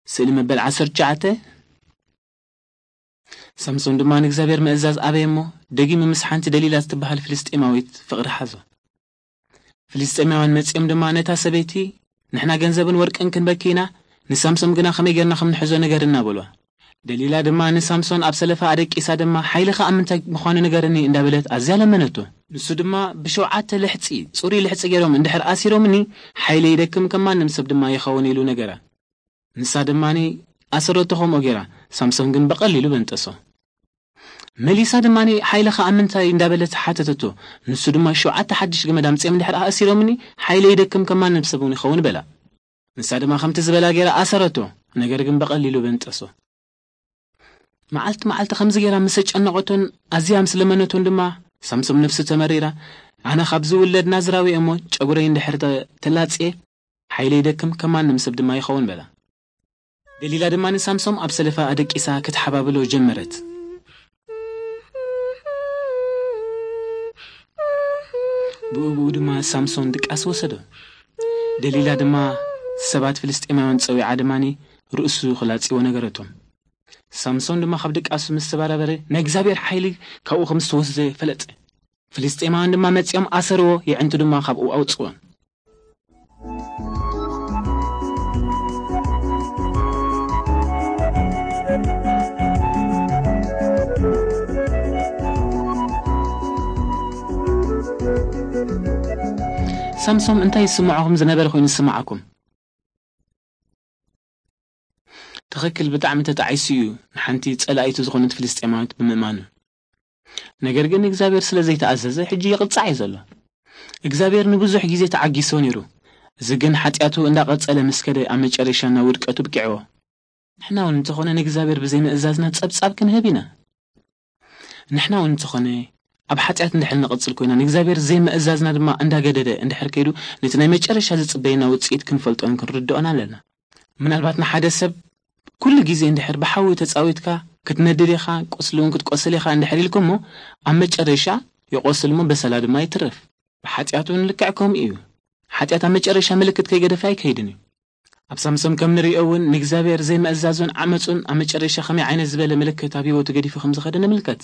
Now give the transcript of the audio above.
ስእሊ መበል ዓሰርተ ትሽዓተ። ሳምሶን ድማ ንእግዚኣብሔር ምእዛዝ ኣበየ እሞ፣ ደጊሙ ምስ ሓንቲ ደሊላ እትበሃል ፍልስጤማዊት ፍቕሪ ሓዞ። ፍልስጤማውያን መጺኦም ድማ ነታ ሰበይቲ፣ "ንሕና ገንዘብን ወርቅን ክንበኪ ኢና፣ ንሳምሶም ግና ከመይ ጌርና ከም ንሕዞ ንገርና" በልዋ። ደሊላ ድማ ንሳምሶን ኣብ ሰለፋ ኣደቂሳ ድማ፣ "ሓይልኻ ኣብ ምንታይ ምዃኑ ንገርኒ" እንዳበለት ኣዝያ ለመነቶ። ንሱ ድማ፣ "ብሸውዓተ ልሕጺ፣ ጽሩይ ልሕጺ ገይሮም እንድሕር ኣሲሮምኒ፣ ሓይለ ይደክም፣ ከም ማንም ሰብ ድማ ይኸውን" ኢሉ ነገራ። ንሳ ድማኒ ኣሰረቶ ከምኡ ገይራ፣ ሳምሶን ግን ብቐሊሉ በንጠሶ። መሊሳ ድማኒ፣ "ሓይልኻ ኣብ ምንታይ?" እንዳበለት ሓተተቶ። ንሱ ድማ፣ "ሸውዓተ ሓድሽ ገመድ ኣምጺኦም እንድሕር ኣእሲሮምኒ፣ ሓይለ ይደክም፣ ከም ማንም ሰብ እውን ይኸውን" በላ። ንሳ ድማ ከምቲ ዝበላ ገይራ ኣሰረቶ፣ ነገር ግን ብቐሊሉ በንጠሶ። መዓልቲ መዓልቲ ከምዚ ገይራ ምስ ኣጨነቐቶን ኣዝያ ምስ ለመነቶን ድማ፣ ሳምሶም ነፍሱ ተመሪራ፣ "ኣነ ካብ ዝውለድ ናዝራዊ እየ እሞ፣ ጨጉረይ እንድሕር ተ-፣ ተላጽየ፣ ሓይለ ይደክም፣ ከም ማንም ሰብ ድማ ይኸውን" በላ። ደሊላ ድማ ንሳምሶም ኣብ ሰለፋ ኣደቂሳ ክትሓባብሎ ጀመረት። ብኡ ብኡ ድማ ሳምሶን ድቃስ ወሰዶ። ደሊላ ድማ ሰባት ፍልስጤማውያን ጸዊዓ ድማኒ ርእሱ ክላጽዎ ነገረቶም። ሳምሶን ድማ ካብ ድቃሱ ምስ ተበራበረ፣ "ናይ እግዚኣብሔር ሓይሊ ካብኡ ከም ዝተወስደ ፈለጠ። ፍልስጤማውያን ድማ መጺኦም ኣሰርዎ፣ የዕንቱ ድማ ካብኡ ኣውጽዎ።" ሳምሶም እንታይ ይስምዖ ከም ዝነበረ ኮይኑ ዝስምዓኩም? ትኽክል፣ ብጣዕሚ ተጣዒሱ እዩ፣ ንሓንቲ ጸላኢቱ ዝኾነት ፍልስጤማዊት ብምእማኑ። ነገር ግን እግዚኣብሔር ስለ ዘይተኣዘዘ፣ ሕጂ ይቕጻዕ እዩ ዘሎ። እግዚኣብሔር ንብዙሕ ግዜ ተዓጊሶ ነይሩ። እዚ ግን ሓጢኣቱ እንዳቐጸለ ምስ ከደ፣ ኣብ መጨረሻ ናብ ውድቀቱ ብቂዕዎ። ንሕና እውን እንተኾነ ንእግዚኣብሔር ብዘይምእዛዝና ጸብጻብ ክንህብ ኢና። ንሕና እውን እንተኾነ ኣብ ሓጢኣት እንድሕር ንቐጽል ኮይና፣ ንእግዚኣብሔር ዘይምእዛዝና ድማ እንዳገደደ እንድሕር ከይዱ፣ ነቲ ናይ መጨረሻ ዝጽበየና ውጽኢት ክንፈልጦን ክንርድኦን ኣለና። ምናልባት ንሓደ ሰብ ኩሉ ግዜ እንድሕር ብሓዊ ተጻዊትካ ክትነድድ ኢኻ፣ ቁስሊ እውን ክትቆስል ኢኻ እንድሕር ኢልኩሞ፣ ኣብ መጨረሻ ይቆስል እሞ በሰላ ድማ ይትረፍ። ብሓጢኣት እውን ልክዕ ከምኡ እዩ። ሓጢኣት ኣብ መጨረሻ ምልክት ከይገደፈ ኣይከይድን እዩ። ኣብ ሳምሶም ከም ንሪኦ እውን ንእግዚኣብሔር ዘይምእዛዙን ዓመጹን ኣብ መጨረሻ ከመይ ዓይነት ዝበለ ምልክት ኣብ ህይወቱ ገዲፉ ከም ዝኸደ ንምልከት።